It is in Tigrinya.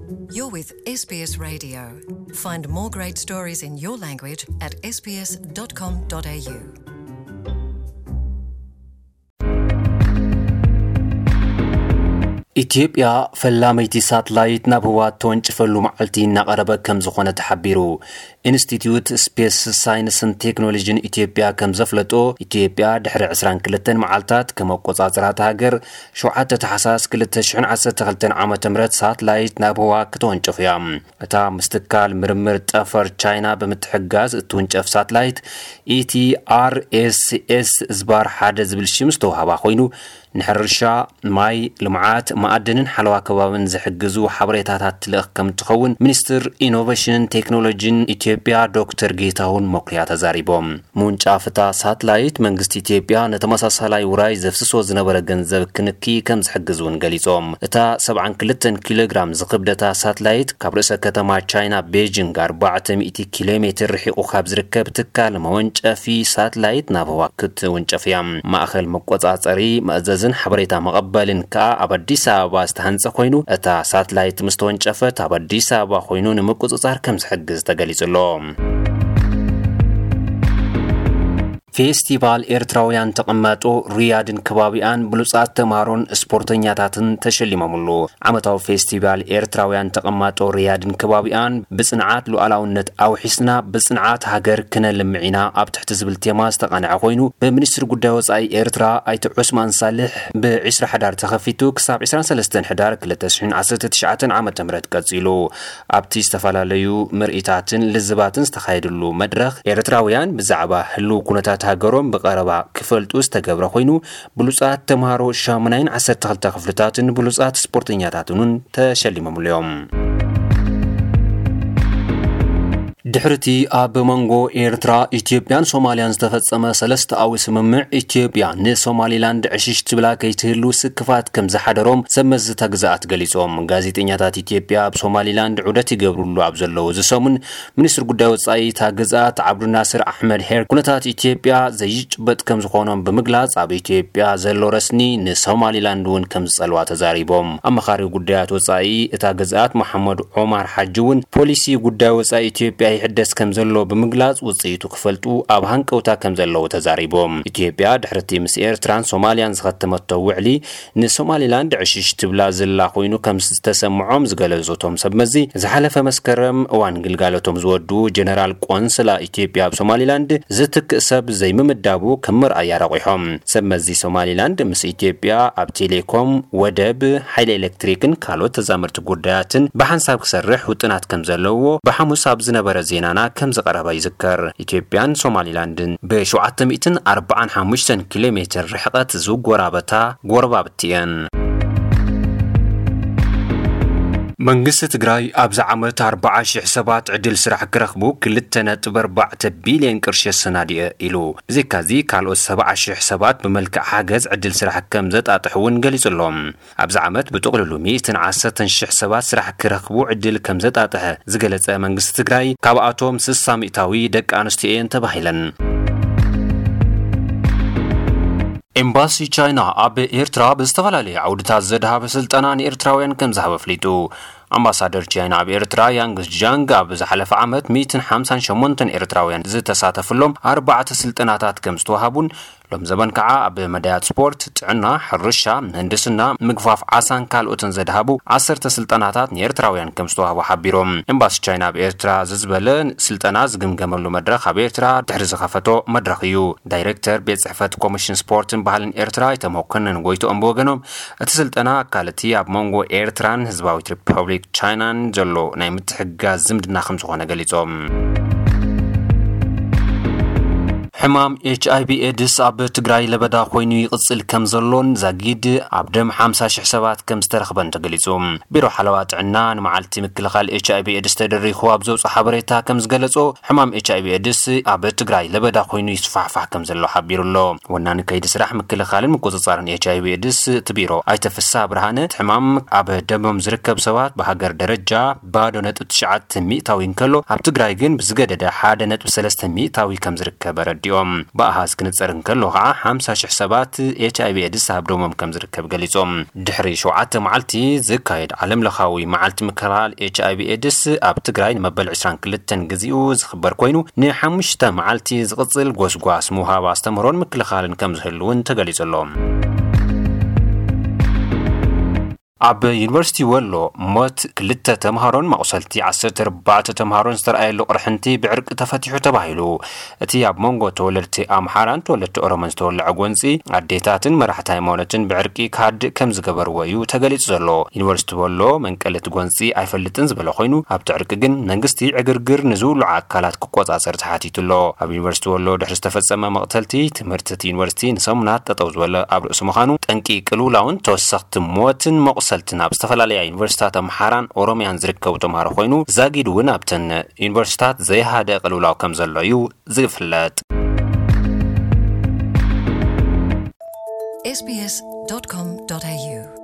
You're with S B S Radio. Find more great stories in your language at S B S dot com dot A U. ኢትዮጵያ ፈላመይቲ ሳትላይት ናብ ህዋ እተወንጭፈሉ መዓልቲ እናቐረበ ከም ዝኾነ ተሓቢሩ። ኢንስቲትዩት ስፔስ ሳይንስን ቴክኖሎጂን ኢትዮጵያ ከም ዘፍለጦ፣ ኢትዮጵያ ድሕሪ ዕስራን ክልተን መዓልታት ከም ኣቆጻጽራ እታ ሃገር፣ ሸውዓተ ታሕሳስ ክልተ ሽሕን ዓሰርተ ክልተን ዓመተ ምህረት ሳትላይት ናብ ህዋ ክተወንጨፍ እያ። እታ ምስ ትካል ምርምር ጠፈር ቻይና ብምትሕግጋዝ እትውንጨፍ ሳትላይት፣ ኢቲኣርኤስኤስ ዝባር ሓደ ዝብል ሽም ዝተዋህባ ኮይኑ፣ ንሕርሻ፣ ማይ፣ ልምዓት፣ መኣድንን ሓለዋ ከባብን ዝሕግዙ ሓበሬታታት ትልእኽ ከም እትኸውን ሚኒስትር ኢኖቬሽንን ቴክኖሎጂን ኢትዮጵያ ዶክተር ጌታሁን መኩሪያ ተዛሪቦም። ምውንጫፍ እታ ሳትላይት መንግስቲ ኢትዮጵያ ንተመሳሳላይ ውራይ ዘፍስሶ ዝነበረ ገንዘብ ክንኪ ከም ዝሕግዝ እውን ገሊጾም። እታ ሰብዓን ክልተን ኪሎ ግራም ዝኽብደታ ሳትላይት ካብ ርእሰ ከተማ ቻይና ቤጂንግ ኣርባዕተ ሚእቲ ኪሎ ሜትር ርሒቑ ካብ ዝርከብ ትካል መወንጨፊ ሳትላይት ናብ ህዋ ክትውንጨፍ እያ። ማእኸል መቆጻጸሪ፣ መእዘዝን ሓበሬታ መቐበልን ከኣ ኣብ ኣዲስ ኣበባ ዝተሃንጸ ኮይኑ፣ እታ ሳትላይት ምስ ተወንጨፈት ኣብ ኣዲስ ኣበባ ኮይኑ ንምቁጽጻር ከም ዝሕግዝ ተገሊጹ ኣሎ። ፌስቲቫል ኤርትራውያን ተቐማጦ ሪያድን ከባቢኣን ብሉጻት ተምሃሮን ስፖርተኛታትን ተሸሊሞምሉ። ዓመታዊ ፌስቲቫል ኤርትራውያን ተቐማጦ ሪያድን ከባቢኣን ብጽንዓት ሉዓላውነት ኣውሒስና ብጽንዓት ሃገር ክነልምዕ ኢና ኣብ ትሕቲ ዝብል ቴማ ዝተቓንዐ ኮይኑ፣ ብሚኒስትሪ ጉዳይ ወጻኢ ኤርትራ ኣይተ ዑስማን ሳልሕ ብ ዕስራ ሕዳር ተኸፊቱ ክሳብ ዕስራን ሰለስተን ሕዳር ክልተ ሽሕን ዓሰርተ ትሽዓተን ዓመተ ምህረት ቀጺሉ። ኣብቲ ዝተፈላለዩ ምርኢታትን ልዝባትን ዝተኻየድሉ መድረኽ፣ ኤርትራውያን ብዛዕባ ህልው ኩነታት ሃገሮም ብቐረባ ክፈልጡ ዝተገብረ ኮይኑ፣ ብሉጻት ተምሃሮ ሻሙናይን ዓሰርተ ክልተ ክፍልታትን ብሉጻት ስፖርተኛታትን እውን ተሸሊሞምሉ እዮም። ድሕርቲ ኣብ መንጎ ኤርትራ፣ ኢትዮጵያን ሶማልያን ዝተፈጸመ ሰለስተኣዊ ስምምዕ፣ ኢትዮጵያ ንሶማሊላንድ ዕሽሽ ትብላ ከይትህሉ ስክፋት ከም ዝሓደሮም ሰብ መዚ እታ ግዝኣት ገሊጾም። ጋዜጠኛታት ኢትዮጵያ ኣብ ሶማሊላንድ ዑደት ይገብሩሉ ኣብ ዘለዉ እዚ ሰሙን፣ ሚኒስትሪ ጉዳይ ወጻኢ እታ ግዝኣት ዓብዱናስር ኣሕመድ ሄር፣ ኩነታት ኢትዮጵያ ዘይጭበጥ ከም ዝኾኖም ብምግላጽ፣ ኣብ ኢትዮጵያ ዘሎ ረስኒ ንሶማሊላንድ እውን ከም ዝጸልዋ ተዛሪቦም። ኣመኻሪ ጉዳያት ወጻኢ እታ ግዝኣት መሓመድ ዑማር ሓጂ እውን፣ ፖሊሲ ጉዳይ ወጻኢ ኢትዮጵያ ይሕደስ ከም ዘሎ ብምግላጽ፣ ውጽኢቱ ክፈልጡ ኣብ ሃንቀውታ ከም ዘለዉ ተዛሪቦም። ኢትዮጵያ ድሕርቲ ምስ ኤርትራን ሶማልያን ዝኸተመቶ ውዕሊ፣ ንሶማሊላንድ ዕሽሽ ትብላ ዘላ ኮይኑ ከም ዝተሰምዖም ዝገለጹ እቶም ሰብ መዚ፣ ዝሓለፈ መስከረም እዋን ግልጋሎቶም ዝወዱ ጀነራል ቆንስላ ኢትዮጵያ ኣብ ሶማሊላንድ ዝትክእ ሰብ ዘይምምዳቡ ከም መርኣያ ረቑሖም። ሰብ መዚ ሶማሊላንድ ምስ ኢትዮጵያ ኣብ ቴሌኮም፣ ወደብ፣ ሓይሊ ኤሌክትሪክን ካልኦት ተዛመድቲ ጉዳያትን ብሓንሳብ ክሰርሕ ውጥናት ከም ዘለዎ ብሓሙስ ኣብ ዝነበረ ዜናና ከም ዝቐረበ ይዝከር። ኢትዮጵያን ሶማሊላንድን ብ ሸውዓተ ሚእትን ኣርባዓን ሓሙሽተን ኪሎ ሜትር ርሕቐት ዝጎራበታ ጎረባብቲ እየን። መንግስቲ ትግራይ ኣብዚ ዓመት ኣርባዓ ሽሕ ሰባት ዕድል ስራሕ ክረኽቡ ክልተ ነጥቢ ኣርባዕተ ቢልዮን ቅርሺ ኣሰናዲኡ ኢሉ። ብዘይካዚ ካልኦት ሰብዓ ሽሕ ሰባት ብመልክዕ ሓገዝ ዕድል ስራሕ ከም ዘጣጥሕ እውን ገሊጹ ኣሎ። ኣብዚ ዓመት ብጥቕልሉ ሚእትን ዓሰርተን ሽሕ ሰባት ስራሕ ክረኽቡ ዕድል ከም ዘጣጥሐ ዝገለጸ መንግስቲ ትግራይ፣ ካብኣቶም ስሳ ሚእታዊ ደቂ ኣንስትዮ እየን ተባሂለን። ኤምባሲ ቻይና ኣብ ኤርትራ ብዝተፈላለየ ዓውድታት ዘድሃበ ስልጠና ንኤርትራውያን ከም ዝሃበ ኣፍሊጡ። ኣምባሳደር ቻይና ኣብ ኤርትራ ያንግ ጃንግ ኣብ ዝሓለፈ ዓመት ሚእትን ሓምሳን ሸሞንተን ኤርትራውያን ዝተሳተፍሎም ኣርባዕተ ስልጠናታት ከም ዝተዋሃቡን ሎም ዘበን ከዓ ኣብ መዳያት ስፖርት፣ ጥዕና፣ ሕርሻ፣ ምህንድስና፣ ምግፋፍ ዓሳን ካልኦትን ዘድሃቡ ዓሰርተ ስልጠናታት ንኤርትራውያን ከም ዝተዋህቡ ሓቢሮም። ኤምባሲ ቻይና ኣብ ኤርትራ ዝዝበለ ስልጠና ዝግምገመሉ መድረኽ ኣብ ኤርትራ ድሕሪ ዝኸፈቶ መድረኽ እዩ። ዳይሬክተር ቤት ጽሕፈት ኮሚሽን ስፖርትን ባህልን ኤርትራ ኣይተ መኮነን ጎይትኦም ብወገኖም፣ እቲ ስልጠና ኣካል እቲ ኣብ መንጎ ኤርትራን ህዝባዊት ሪፐብሊክ ቻይናን ዘሎ ናይ ምትሕግጋዝ ዝምድና ከም ዝኾነ ገሊጾም። ሕማም ኤች ኣይ ቪ ኤድስ ኣብ ትግራይ ለበዳ ኮይኑ ይቕጽል ከም ዘሎን ዛጊድ ኣብ ደም ሓምሳ ሽሕ ሰባት ከም ዝተረኽበን ተገሊጹ። ቢሮ ሓለዋ ጥዕና ንመዓልቲ ምክልኻል ኤች ኣይ ቪ ኤድስ ተደሪኹ ኣብ ዘውፅኦ ሓበሬታ ከም ዝገለጾ፣ ሕማም ኤች ኣይ ቪ ኤድስ ኣብ ትግራይ ለበዳ ኮይኑ ይስፋሕፋሕ ከም ዘሎ ሓቢሩ ኣሎ። ወናኒ ከይዲ ስራሕ ምክልኻልን ምቁጽጻርን ኤች ኣይ ቪ ኤድስ እቲ ቢሮ ኣይተ ፍስሃ ብርሃነ፣ እቲ ሕማም ኣብ ደሞም ዝርከብ ሰባት ብሃገር ደረጃ ባዶ ነጥቢ ትሽዓተ ሚእታዊ እንከሎ፣ ኣብ ትግራይ ግን ብዝገደደ ሓደ ነጥቢ ሰለስተ ሚእታዊ ከም ዝርከብ ኣረዲኡ። እዮም። ብኣሃዝ ክንጸር እንከሎ ከዓ ሓምሳ ሽሕ ሰባት ኤች ኣይ ቪ ኤድስ ኣብ ደሞም ከም ዝርከብ ገሊጾም። ድሕሪ ሸውዓተ መዓልቲ ዝካየድ ዓለም ለኻዊ መዓልቲ ምክልኻል ኤች ኣይ ቪ ኤድስ ኣብ ትግራይ ንመበል ዕስራን ክልተን ግዜኡ ዝኽበር ኮይኑ፣ ንሓሙሽተ መዓልቲ ዝቕጽል ጎስጓስ ምውሃብ ኣስተምህሮን ምክልኻልን ከም ዝህሉ እውን ተገሊጹ ኣሎ። ኣብ ዩኒቨርሲቲ ወሎ ሞት ክልተ ተምሃሮን መቑሰልቲ ዓሰርተ ኣርባዕተ ተምሃሮን ዝተረኣየሉ ቅርሕንቲ ብዕርቂ ተፈቲሑ ተባሂሉ። እቲ ኣብ መንጎ ተወለድቲ ኣምሓራን ተወለድቲ ኦሮሞን ዝተወለዐ ጎንፂ ኣዴታትን መራሕቲ ሃይማኖትን ብዕርቂ ክሃድእ ከም ዝገበርዎ እዩ ተገሊጹ ዘሎ። ዩኒቨርሲቲ ወሎ መንቀሊ እቲ ጎንፂ ኣይፈልጥን ዝበለ ኮይኑ ኣብቲ ዕርቂ ግን መንግስቲ ዕግርግር ንዝውልዑ ኣካላት ክቆጻጸር ተሓቲቱ ኣሎ። ኣብ ዩኒቨርሲቲ ወሎ ድሕሪ ዝተፈጸመ መቕተልቲ ትምህርቲ እቲ ዩኒቨርሲቲ ንሰሙናት ጠጠው ዝበለ ኣብ ርእሲ ምዃኑ ጠንቂ ቅልውላውን ተወሰኽቲ ሞትን መቑሰልትን ኣብ ዝተፈላለያ ዩኒቨርሲታት ኣምሓራን ኦሮሚያን ዝርከቡ ተምሃሮ ኮይኑ ዛጊድ እውን ኣብተን ዩኒቨርሲታት ዘይሃደ ቅልውላው ከም ዘሎ እዩ ዝፍለጥ። S B S dot com dot A U